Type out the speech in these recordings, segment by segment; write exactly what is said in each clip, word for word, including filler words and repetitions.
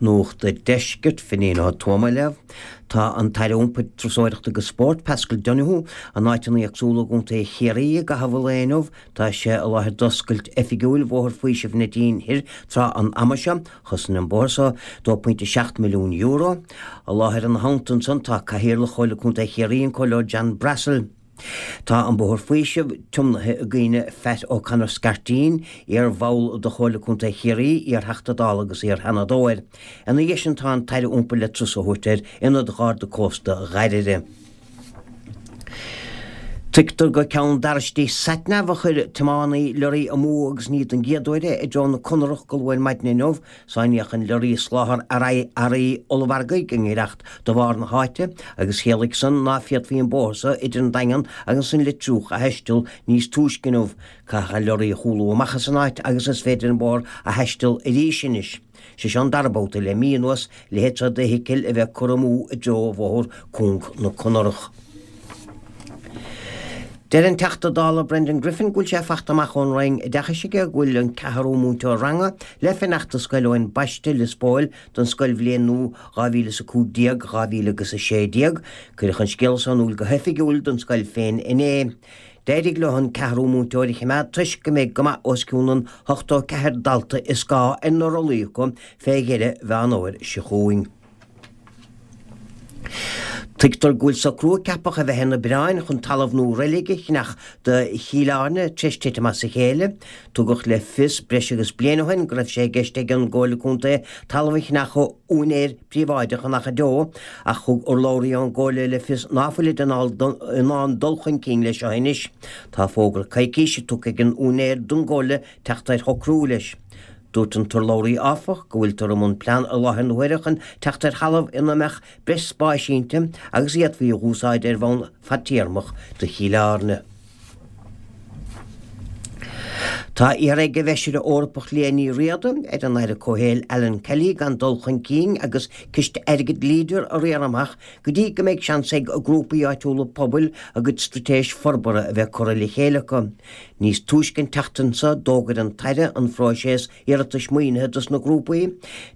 Nuacht an Deiscirt Finín Ó Tuama á léamh. Tá an tAire Iompair Turasóireachta agus Spóirt Paschal Donohoe in áiteanna éagsúla i gContae Chiarraí i gcaitheamh an lae inniu. Tá sé i láthair d'oscailt oifigiúil Bhóthar Faoisimh na Díne Thoir tráth an ama seo. Chosain an bóthar seo dó pointe seacht milliún euro. I láthair ina theannta ansan tá Cathaoirleach Chomhairle Contae Chiarraí an Comhairleoir John Brassil. Tá an Bóthar Faoisimh tiomnaithe i gcuimhne Phat O'Connor Scarteen, iar-bhall de Chomhairle Contae Chiarraí, iar-Theachta Dála agus iar-Sheanadóir. Ina dhiaidh sin tá an tAire Iompair le turas a thabhairt ar Ionad Gharda Cósta Dhoire. Tuigtear gur ceann d'arraistí satnav a chuir tiománaí leoraí amú agus ní don gcéad uair é i dtreo na Conarach go luath ar maidin inniu. Sáinníodh an leoraí ag soláthar earraí ollmhargaidh i ngiorracht do bharr na háite agus chiallaigh san ná féadfaí an bóthar so idir an Daingean agus an Leitriúch a thaisteal níos túisce inniu. Caitheadh an leoraí a chúlú amach as an áit agus is féidir an bóthar a thaisteal arís anois. Sé seo an dara babhta le mí anuas a leithéid seo d'fheithicil a bheith curtha amú i dtreo bhóthar cúng na Conarach. Deir an Teachta Dála Brendan Griffin go bhfuil sé fachta amach ón Roinn Oideachais aige go bhfuil an ceathrú múinteoir ranga le fanacht i Scoil Eoin Baiste, Lios Póil, don scoilbhliain nua dhá mhíle is a cúig déag, dhá mhíle agus a sé déag. Cuireadh an scéal seo in iúl go hoifigiúil don scoil féin inné. D'éirigh leo an ceathrú múinteoir a choimeád toisc go mbeidh go maith os cionn an ochtó ceathair dalta is gá ar na rollaí acu fé dheireadh Mheán Fhómhair seo chugainn. Tuigtear go bhfuil socrú a ceapadh a bheith ar na bioráin chun talamh nua reilige a cheannach do Chill Airne tar éis titim as a chéile. Tugadh le fios breis agus bliain ó shin go raibh sé i gceist ag an gComhairle Contae talamh a cheannach ó úinéir príobháideach in Achadh Deo, ach thug urlabhraí ón gComhairle le fios ná fuilid in ann dul chun cinn leis seo anois. Tá fógra coicíse tugtha ag an úinéir don gComhairle teacht ar shocrú leis. Dúirt an t-urlabhraí, áfach, go bhfuiltear i mbun plean i láthair na huaire chun teacht ar thalamh ina mbeadh breis spáis inti agus a d'fhéadfaí a dh'úsáid ar bhonn fadtéarmach do Chill Airne. Tá iarrtha ag an bhFeisire Eorpach Liadh Ní Riada ar an Aire Comhshaoil Alan Kelly gan dul chun cinn agus ciste airgid Leader a riar amach go dtí go mbeidh seans ag grúpaí áitiúla pobail a gcuid straitéis forbartha a bheith curtha le chéile acu. Níos túisce an tseachtain seo d'fhógair an tAire an phróiseas iarratais maoinithe dos na grúpaí.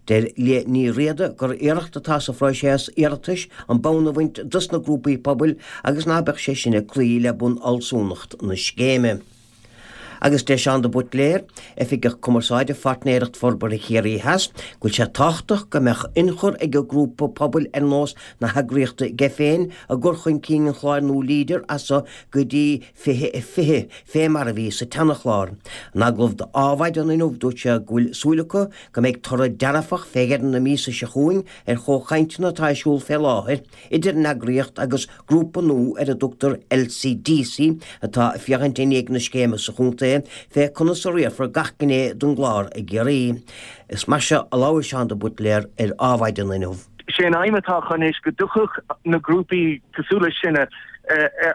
Deir Liadh Ní Riada gur iarracht atá sa phróiseas iarratais an bonn a bhaint dos na grúpaí pobail agus ná beadh sé sin ag cloí le bunfhealsúnacht na scéime. Agus deir Seán de Buitléir, Oifigeach Cumarsáide Pháirtnéireacht Forbartha Chiarraí Theas, go bhfuil sé tábhachtach go mbeadh ionchur ag an grúpa pobail ar nós na heagraíochta aige féin i gcur chun cinn an chláir nua Leader as seo go dtí fiche a fiche, fé mar a bhí sa tseanachlár. In agallamh d'Adhmhaidin inniu dúirt sé go bhfuil súil acu go mbeidh toradh dearfach fé dheireadh na míosa seo chugainn ar chomhchainteanna atá ar siúl fé láthair idir an eagraíocht agus grúpa nua ar a dtugtar LCDC atá ag féachaint i ndiaidh na scéime sa chontae fé conas a riarfar gach gné den gclár i gCiarraí. Is mar seo a labhair Seán de Buitléar ar Adhmhaidin inniu. Sé an aidhm atá acu anois go dtiocfadh na grúpaí cosúil le sinne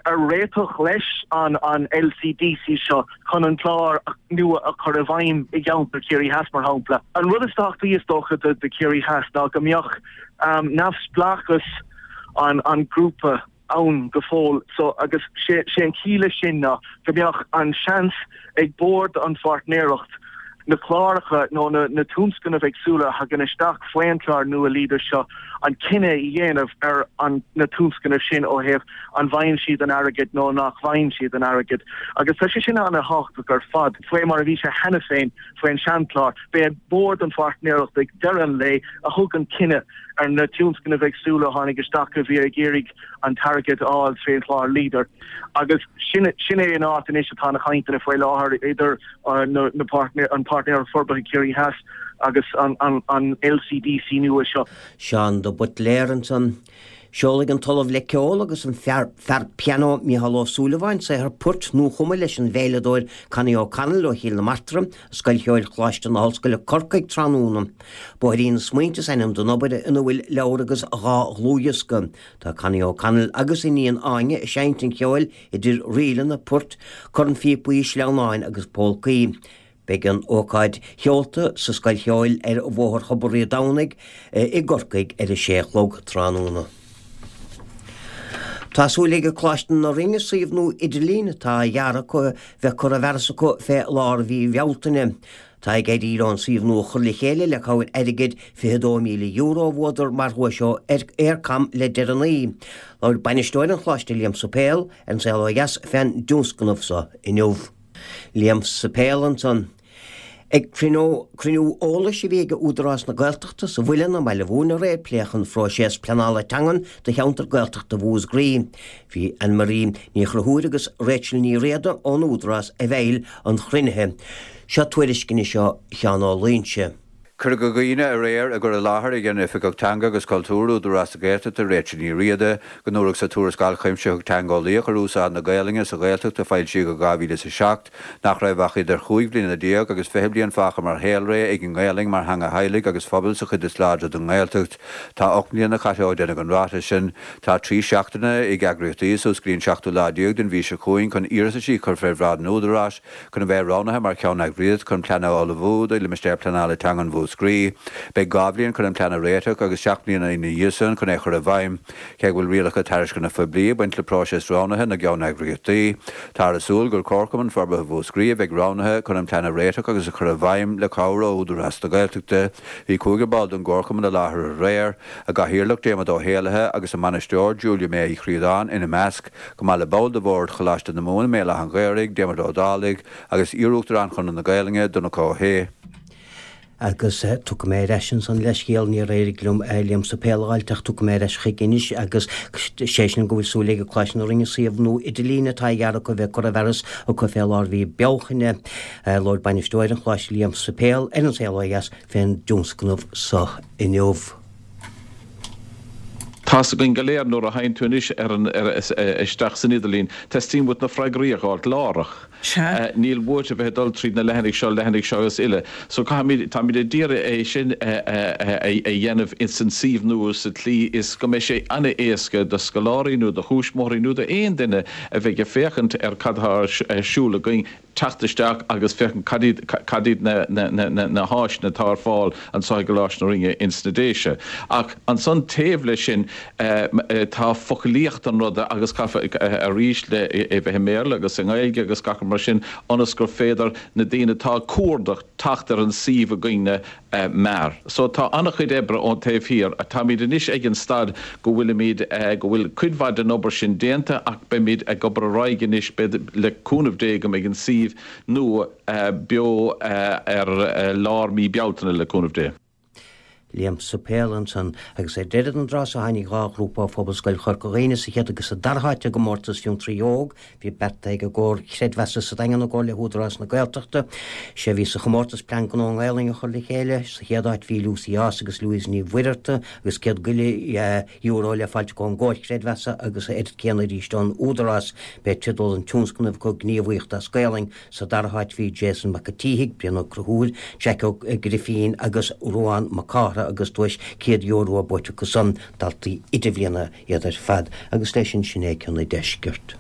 ar réiteach leis an LCDC seo chun an clár nua a chur i bhfeidhm i gceantar Chiarraí Theas, mar shampla. An rud is tábhachtaí is dócha do Chiarraí Theas ná go mbeadh neamhspleáchas an ghrúpa ann go fóill so agus sé an chiall leis sin ná go mbeadh an seans ag bord an pháirtnéireacht na cláracha nó na na tionscnaimh éagsúla a thagann isteach faoin chlár nua Leader seo an cinneadh a dhéanamh ar an na tionscnaimh sin ó thaobh an bhfaigheann siad an airgead nó nach bhfaigheann siad an airgead agus tá sé sin an-tábhachtach ar fad. Faoi mar a bhí sé cheana féin faoin seanchlár, b'é bord an pháirtnéireacht ag deireadh an lae a thug an cinneadh ar na tionscnaimh éagsúla a tháinig isteach a bhí ag iarraidh an t-airgead a fháil trén chlár Leader agus sin sin é an áit anois atá na cainteanna faoi láthair idir na na páirtnéir an Páirtnéireacht Forbartha Ciarraí Theas agus an an an LCDC nua seo. Seán de Buitléar ansan. Seolfaidh an tOllamh le Ceol agus an fear fear pianó Mícheál Ó Súilleabháin saothar poirt nuachumtha leis an veidhleadóir Connie O'Connell ó Chill na Martra i Scoil Cheoil Choláiste na hOllscoile Corcaigh tráthnóna. Bóithrín na Smaointe is ainm don obair ina bhfuil leabhar agus dhá dhlúthdhiosca. Tá Connie O'Connell agus a iníon Áine ag seinnt an cheoil idir ríleanna, poirt, cornphíopaí, sleamhnáin agus pólcaí. Beidh an ócáid sheolta sa Scoil Cheoil ar Bhóthar Thobar Rí Domhnaigh i gCorcaigh ar a sé a chlog tráthnóna. Tá súil ag Coláiste na Rinne suíomh nua idirlín atá á dhearadh acu bheith curtha i bhfearas acu fé lár mhí Bhealtaine. Tá ag éirí leo an suíomh nua a chur le chéile le cabhair airgid fiche dó míle euro a bhuadar mar dhuais ó Eircom le deireanaí. Labhair bainisteoir an Choláiste Liam Suipéil ar An Saol Ó Dheas fén dtionscnamh so inniu. Liam Suipéil ansan. Ag cruinniú eolais a bhí ag Údarás na Gaeltachta sa Mhuileann i mBaile Mhúirne aréir pléadh an phróiseas pleanála teangan do cheantar Gaeltachta Mhúscraí. Bhí Anne Marie Ní Chonchúir agus Rachel Ní Riada ón Údarás i bhfeighil an chruinnithe. Seo tuairisc anois ó Sheán Ó Loingsigh. Cuireadh i gcuimhne aréir i gcur i láthair ag an Oifigeach Teanga agus Cultúir, Údarás na Gaeltachta, Rachel Ní Riada, go ndúradh sa tuarascáil chuimsitheach teangeolaíoch ar úsáid na Gaelainne sa Ghaeltacht a foilsíodh i dhá mhíle is a seacht nach raibh ach idir chúig bliana déag agus fiche bliain fágtha mar shaolré ag an nGaelainn mar theanga theaghlaigh agus phobail sa chuid is láidre den nGaeltacht. Tá ocht mbliana caite ó deineadh an ráiteas sin. Tá trí seachtaine ag eagraíochtaí suas go dtí an seachtú lá déag den mhí seo chugainn chun iarrataisí a chur fé bhráid an Údaráis chun a bheith roghnaithe mar cheanneagraíocht chun plean a ullmhú do Limistéar Pleanála Teangan Mhúscraí. Beidh dhá bhliain chun an plean a réiteach agus seacht mbliana ina dhiaidh sin chun é a chur i bhfeidhm. Cé go bhfuil rialacha tairisceana phoiblí ag baint le próiseas roghnaithe na gceanneagraíochtaí, táthar ag súil gur Comharchumann Forbartha Mhúscraí a bheidh roghnaithe chun an plean a réiteach agus a chur i bhfeidhm le cabhair ó Údarás na Gaeltachta. Bhí cúigear ball den gComharchumann i láthair aréir, a gcathaoirleach Diarmuid Ó hÉallaithe agus a mbainisteoir Julia May Uí Chríodáin ina measc, chomh maith le ball de bhord Choláiste na Mumhan i mBéal Átha an Ghaorthaidh, Diarmuid Ó Dálaigh, agus iarUachtarán Chonradh na Gaelainne, Donncha Ó hAodha. Agus tiocfaidh mé ar ais ansan le scéal, níor éirigh liom Liam Suipéil a fháilt ach tiocfaidh mé ar ais chuige anois agus sé sin go bhfuil súil ag Coláiste na Rinne suíomh nua idirlín atá á dhearadh acu a bheith curtha i bhfearas acu fé lár mhí Bealtaine. Labhair bainisteoir an Choláiste Liam Suipéil ar An Saol Ó Dheas fén dtionscnamh so inniu. Tá's againn go léir nuair a théann tú anois ar an, ar, isteach san idirlíon, teastaíonn uait na freagraí a dh'fháilt láithreach. Sea. Níl uait a bheith ag dul tríd na leathanaigh seo, leathanaigh seo agus uile. So caithfimid, táimid ag iarraidh é sin a dhéanamh ins an suíomh nua sa tslí is go mbeidh sé an-éasca do scoláirí nó do thuismitheoirí nó d'aon duine a bheidh ag féachaint ar cad atá ar siúl againn, teacht isteach agus féachaint cad iad, cad iad na, na, na, na, na háiseanna atá ar fáil anseo i gColáiste na Rinne ins na Déise. Ach ansan taobh leis sin tá foclaíocht an ruda agus caithfear arís le é bheith i mBéarla agus i nGaeilge agus gach rud mar sin ionas gur féidir na daoine atá ag cuardach teacht ar an suíomh againne mear. So tá an-chuid oibre ón taobh thiar. Táimid anois ag an staid go bhfuilimid, go bhfuil cuid mhaith den obair sin déanta ach beimid ag obair ar aghaidh anois, beidh, le cúnamh Dé go mbeidh an suíomh nua beo ar lár mí Bealtaine le cúnamh Dé. Liam Suipéil ansan. Agus ar deireadh den dtráth so tháinig dhá ghrúpa ó Phobalscoil Chorca Dhuibhne sa chéad agus sa dara háit i gcomórtas Fiontraí Óg. Bhí beartaithe ag an gComhar Chreidmheasa sa Daingean i gcomhar le hÚdarás na Gaeltachta. Sé a bhí sa chomórtas plean gnó i nGaelainn a chur le chéile. Sa chéad áit bhí Lucy Ása agus Louise Ní Mhuircheartaigh agus céad go leith euro le fáilt acu ón gComhar Chreidmheasa agus a oiread céanna arís ón Údarás. B'é teideal an tionscnaimh acu Gníomhaíocht as Gaelainn. Sa dara háit bhí Jason Mac an tSíthigh, Brian Ó Conchúir, Jack Ó Grifín agus Ruán Mac Cártha agus duais céad euro buaite acu san, daltaí idirbhliana iad ar fad. Agus leis sin, sin é Ceann an Deiscirt.